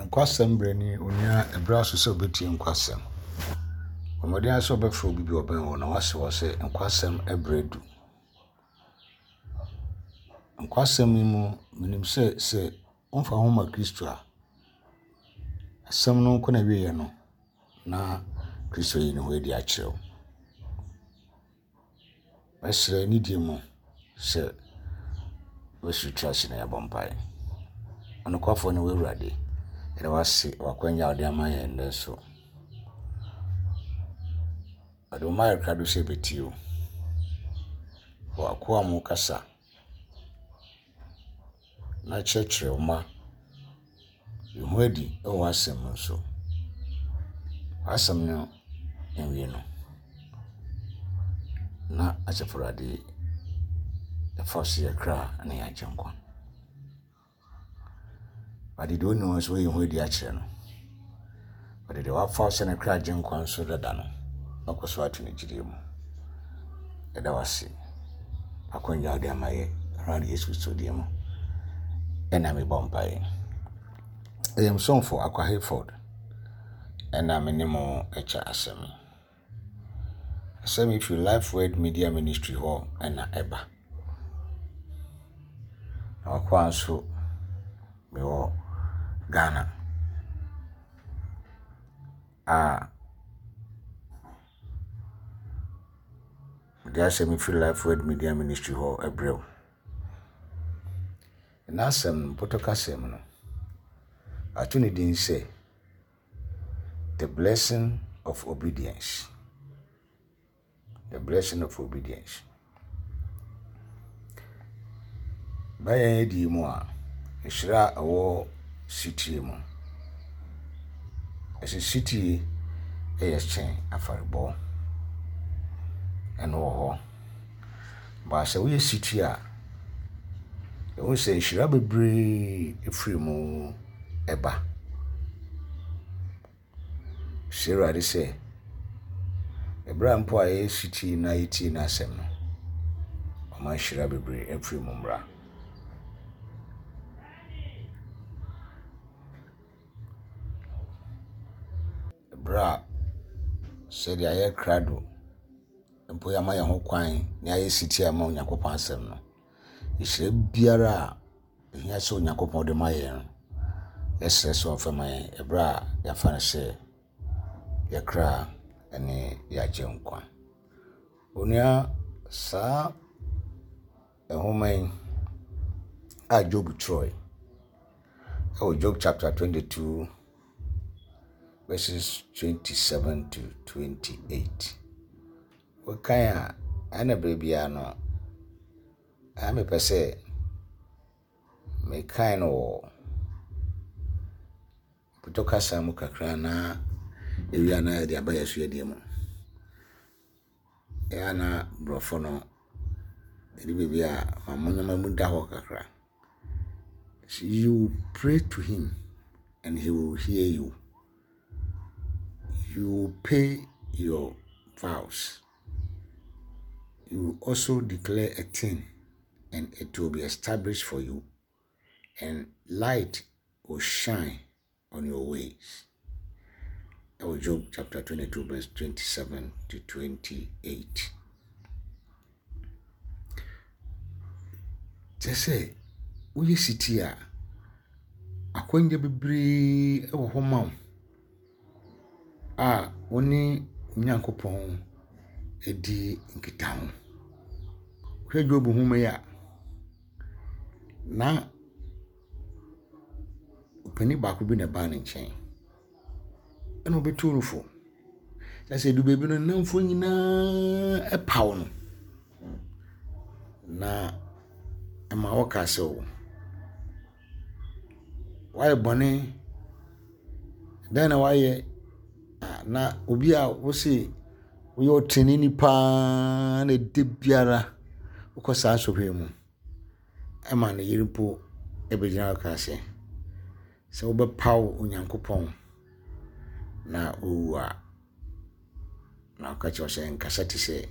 Nkwasɛm berɛ ni, onua, ɛberɛ aso sɛ wobɛtie nkwasɛm. Bɔ mmɔden ara sɛ wobɛfrɛ obi bi a ɔbɛn wo na woase hɔ sɛ nkwasɛm berɛ adu. Nkwasɛm yi mu, menim sɛ sɛ womfa wo ho ma Kristo a, asɛm no nkɔ n'awieeɛ no, na Kristo ayi ne ho adi akyerɛ wo. Mɛsrɛ nidie mu sɛ wobɛsi tiri ase na yɛabɔ mpaeɛ. Ɔnokwafoɔ ne wo Awurade, yɛda wo ase wɔ akwanya a wode ama yɛn nnɛ nso. Ɔde wo mma ayɛ krado sɛ yɛbɛtie wo. Wɔ w'akoa mu kasa na kyerɛkyerɛ wo mma. Yi ho adi wɔ w'asɛm mu nso. W'asɛm no nwie no, na Asafo Awurade ɛfa so yɛ kra ne yɛn agyenkwa. Ɔde deɛ ɔnni hɔ nso wayi ho adi akyerɛ no. Ɔde deɛ wafa sɛ ne kra agyenkwa nso dada no, akɔ so ato ne gyidie mu. Yɛda wo ase. Akwanya a wode ama yɛ Awurade Yesu Kristo din mu. Ɛna mebɔ mpaeɛ. Ɛyɛ me somfo Akwa Hayford ɛna me ne mo ɛkyɛ asɛm yi. Asɛm yi firi Life Word Media Ministry hɔ ɛna ɛba. Na wakoa nso mewɔ Ghana a Mede asɛm yi firi Life Word Media Ministry hɔ brɛ wo. N'asɛm no, mpɔtɔ kasa mu no, ato ne din sɛ The Blessing of Obedience. The Blessing of Obedience. Ba yɛn adie mu a, nhyira a ɛwɔ setie mu. Ɛsɛ setie yɛ kyɛn afɔrebɔ. Ɛno wɔ hɔ. But sɛ woyɛ setie a, ɛhu sɛ nhyira bebree firi mu ba. Srɛ Awurade sɛ, ɛberɛ a mpo a yɛyɛ setie na yɛtie n'asɛm no, ɔma nhyira bebree mfiri mu mmra. Ɛberɛ a sɛdeɛ ayɛ krado mpo yɛama yɛn ho kwan na yɛayɛ setie ama Onyankopɔn asɛm no, nhyira biara a Ɛhia sɛ Onyankopɔn de ma yɛn no, yɛsrɛ sɛ ɔmfa ma yɛn ɛberɛ a yɛafa no sɛ yɛn kra ne yɛn agyenkwa. Onua, saa nwoma yi a Job twerɛe ɛwɔ Job chapter 22 verses 27 to 28. Wokan a, ɛna berɛ biara no, Na mepɛ sɛ mekan no wɔ Pɔtɔ kasa mu kakra na ewie a na yɛde aba yɛn suadie mu. Ɛyɛ a na borɔfo no ɛdu baabi a ma mo nneɛma mu da hɔ kakra. You pray to him and he will hear you. You will pay your vows. You will also declare a thing, and it will be established for you, and light will shine on your ways. Ɛwɔ Job chapter 22, verse 27 to 28. Kyerɛ sɛ, woyɛ setie a, akwannya bebree wɔ hɔ ma wo. a wo ne Onyankopɔn di nkitaho. Wohwɛ Job nwoma yi a, na ɔpanin baako bi na ɛbaa ne nkyɛn ɛna ɔbɛtuu no fo. Na sɛ ɛdu baabi no, ne nnamfoɔ nyinaa paw no. Na ɛma wɔkaa sɛ, o, Woayɛ bɔne, dɛn na woayɛ? Na obi a wose woyɛ ɔtreneeni paa na da biara wokɔ saa sɔhwɛ yi mu ma ne yere mpo bɛgyina hɔ kaa sɛ, sɛ wobɛpaw Onyankopɔn na wawu a, Na ɔka kyerɛ wo sɛ nkasa te sɛ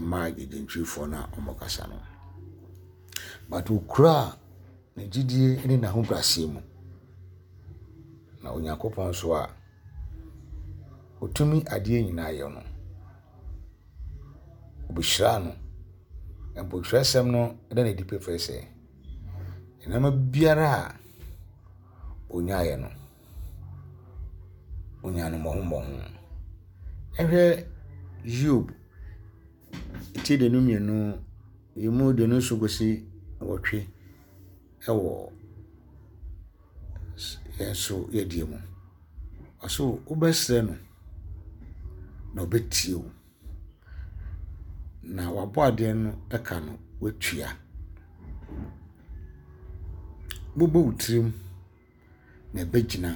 mmaa agyegyentwifoɔ no a wɔkasa no. But okuraa ne gyidie ne n'ahobrɛaseɛ mu. Na Onyankopɔn nso a ɔtumi adeɛ nyinaa yɛ no, ɔbɛhyiraa no. Mpo twerɛsɛm no da no adi pefee sɛ, nneɛma biara a ɔnyaeɛ no, ɔnyaa no mmɔho mmɔho. Ɛhwɛ Hiob ti 22, emu 27 kɔsi 8 wɔ yɛn nso yɛdeɛ mu. Ɔse wobɛsrɛ no na ɔbɛtie wo. Na w'abɔadeɛ no ka no woatua. Wobɛbɔ wo tirim na ɛbɛgyina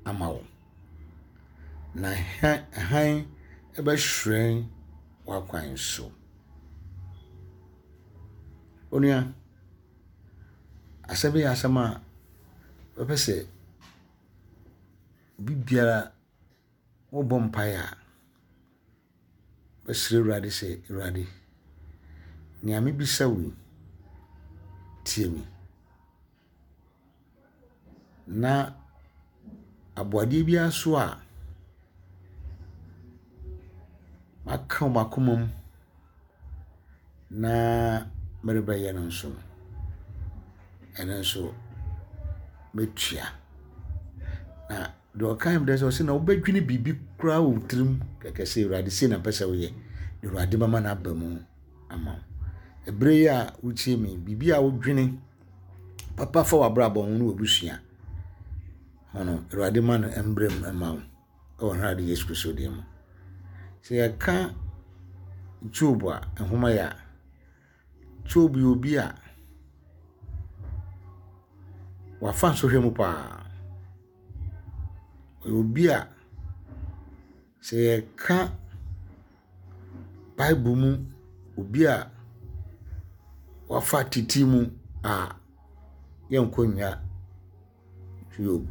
ama wo. Na hann bɛhyerɛn w'akwan so. Onua, asɛm yi yɛ asɛm a mɛpɛ sɛ obi biara wobɔ mpaeɛ a, bɛsrɛ Awurade sɛ, Awurade, nea mebisa wo yi, tie me. Na aboadeɛ biara nso a maka wɔ m'akoma mu na merebɛyɛ no nso no, ɛno nso mɛtua. Na deɛ ɔkae me sɛ ɔse na wobɛdwene biribi koraa wɔ wo tirim kɛkɛ sɛ Awurade sei na mpɛ sɛ woyɛ, na Awurade bɛma no aba mu ama wo. Ɛberɛ yi a wotie me, biribi a wodwene papa fa w'abrabɔ ho ne w'abusua ho no, Awurade ma no mbrɛ mu mma wo wɔ Awurade Yesu Kristo din mu. Sɛ yɛka Job a, nhoma yi a, Job yɛ obi a wafa nsɔhwɛ mu paa. Ɔyɛ obi a sɛ yɛka Bible mu obi a wafa tete mu a, yɛnkɔ nnya Hiob.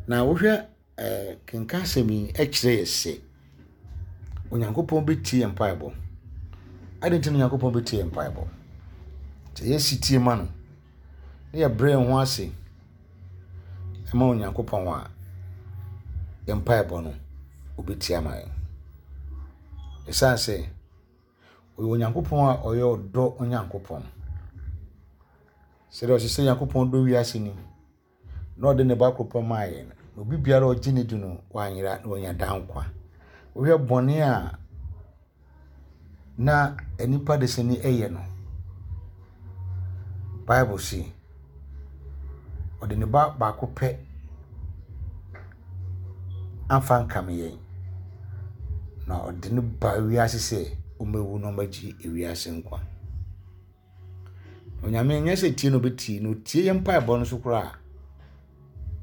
Na wohwɛ ɛɛ kenkan asɛm yi kyerɛ yɛ sɛ Onyankopɔn bɛtie yɛn mpaebɔ. Adɛn nti na Onyankopɔn bɛtie yɛn mpaebɔ? Sɛ yɛsi tie ma no na yɛbrɛ yɛn ho ase ma Onyankopɔn a, yɛn mpaebɔ no, ɔbɛtie ama yɛn. Ɛsiane sɛ ɔyɛ Onyankopɔn a ɔyɛ ɔdɔ Onyankopɔn. Sɛdeɛ ɔsɛ sɛ Nyankopɔn dɔ wiase ni, na ɔde ne ba koro pɛ maa yɛn, na obi biara a ɔgye ne di no, wanyera na wanya daa nkwa. Wohwɛ bɔne a na nnipa desani yɛ no, Bible se, ɔde ne ba baako pɛ amfa ankame yɛn, na ɔde no baa wiase sɛ ɔmmɛwu na ɔmmɛgye wiase nkwa. Onyame nyɛ sɛ tie na ɔbɛtie, na ɔtie yɛn mpaebɔ no so koraa a,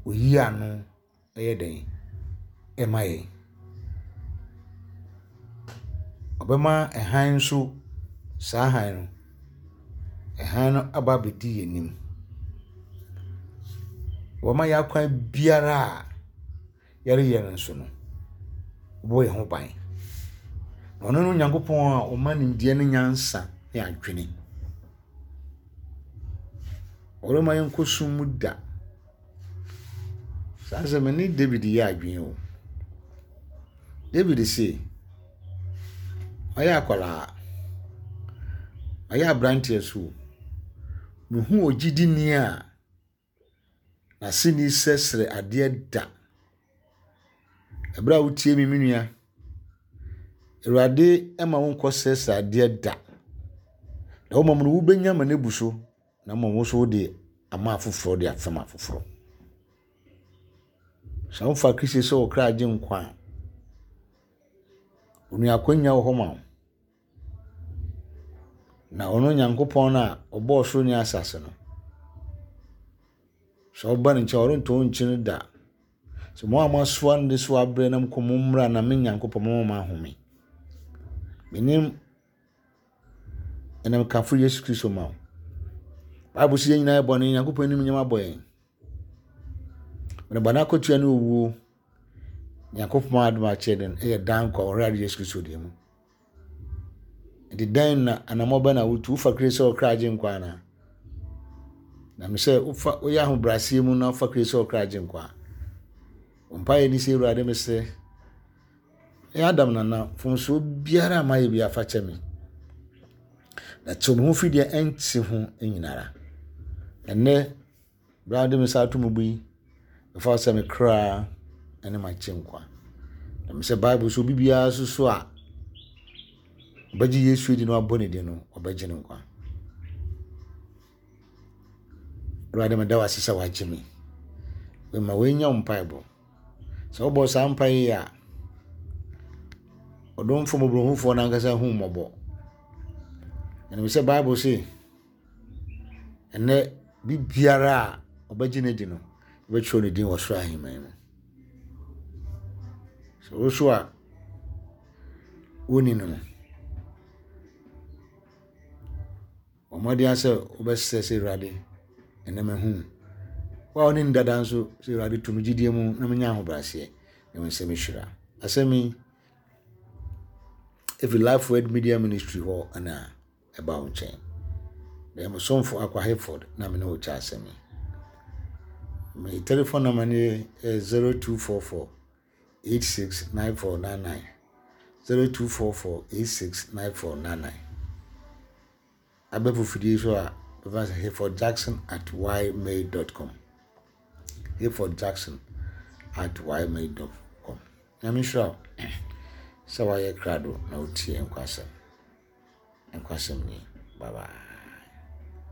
ɔyi ano yɛ dɛn ma yɛn. Ɔbɛma hann nso, saa hann no, hann no aba abɛdi yɛn anim. Ɔbɛma yɛn akwan biara a yɛreyɛ no nso no, ɔbɛbɔ yɛn ho ban. Na ɔno ne Onyankopɔn a ɔma nimdeɛ ne nyansa ne adwene. Ɔremma yɛnkɔ sum mu da. Saa asɛm yi ne David yɛ adwene o. David se, ɔyɛ akwadaa, ɔyɛ aberanteɛ so o, mehu ogyidini a n'aseni srɛsrɛ adeɛ da. Ɛberɛ a wotie me, me nua, Awurade mma wonkɔ srɛsrɛ adeɛ da. Na wo mmom no, wobɛnya ma no abu so. Na mmom wo nso wode ama afoforɔ de afɛm afoforɔ. Sɛ wofa Kristo sɛ wo kra gye nkwa a, onua akwanya wɔ hɔ ma wo. Na ɔno Nyankopɔn no a ɔbɔɔ soro ne asase no, sɛ woba ne nkyɛn ɔrento wo nkyene da. Sɛ mo a moasoa no de so abrɛ na mokɔ mo mmra na me Nyankopɔn mama mo ahome. Menim Ɛna mekamfo Yesu Kristo ma wo. Bible sɛ yɛn nyinaa yɛ bɔne, Nyankopɔn anim nyɛma abɔ yɛn. Na bɔne akatua ne owuo. Nyankopɔn adom akyɛ den ɛyɛ daa nkwa wɔ Awurade Yesu Kristo din mu. Nti dɛn na anammɔ bɛn na wotu wofa Kristo sɛ ɔkra agye nkwa anaa? Na me sɛ wofa woyɛ ahobrɛaseɛ mu na wofa Kristo sɛ ɔkra agye nkwa a, wo mpaeɛ ni sɛ Awurade mesrɛ ɛyɛ Adam nana mfomsoɔ biara a mayɛ biara fa kyɛ me. Na tew me ho firi deɛ ɛnte ho nyinara. Ɛnnɛ Berɛ a wode me nsa ato me bo yi, mefa wo sɛ me kra ne m'agyenkwa. Na me sɛ Bible so obi biara nso so a ɔbɛgye Yesu adi na wabɔ ne din no, ɔbɛgye no nkwa. Awurade meda wo ase sɛ wagye me. Mema woanya wo mpaebɔ. Sɛ wobɔ saa mpae yi a, ɔdomfo mmɔborɔhufoɔ no ankasa hu mmɔbɔ. Ɛnim sɛ Bible se, Ɛnnɛ, biribiara a ɔbɛgye no adi no, wɔbɛtwerɛ ne din wɔ soro ahemman mu. Sɛ wo nso a wonni no no, bɔ mmɔden ara sɛ wobɛsrɛ sɛ Awurade, ɛnnɛ mahu wo. Wo a wone no dada nso, sɛ Awurade to me gyidie mu na menya ahobrɛaseɛ na wo nsam hyira. Asɛm yi, ɛfiri Life Word Media Ministry hɔ na ɛba wo nkyɛn. Meyɛ mo somfo Akwa Hayford na me ne wo kyɛ asɛm yi. Me telephone number no yɛ 0244 869499. 0244 869499. Abɛfo fidie so a bɛfa sɛ Hayford Jackson at ymail.com. Hayford Jackson at ymail.com. Nyame nhyira wo sɛ woayɛ krado na wotie nkwasɛm. Nkwasɛm ni. Bye bye.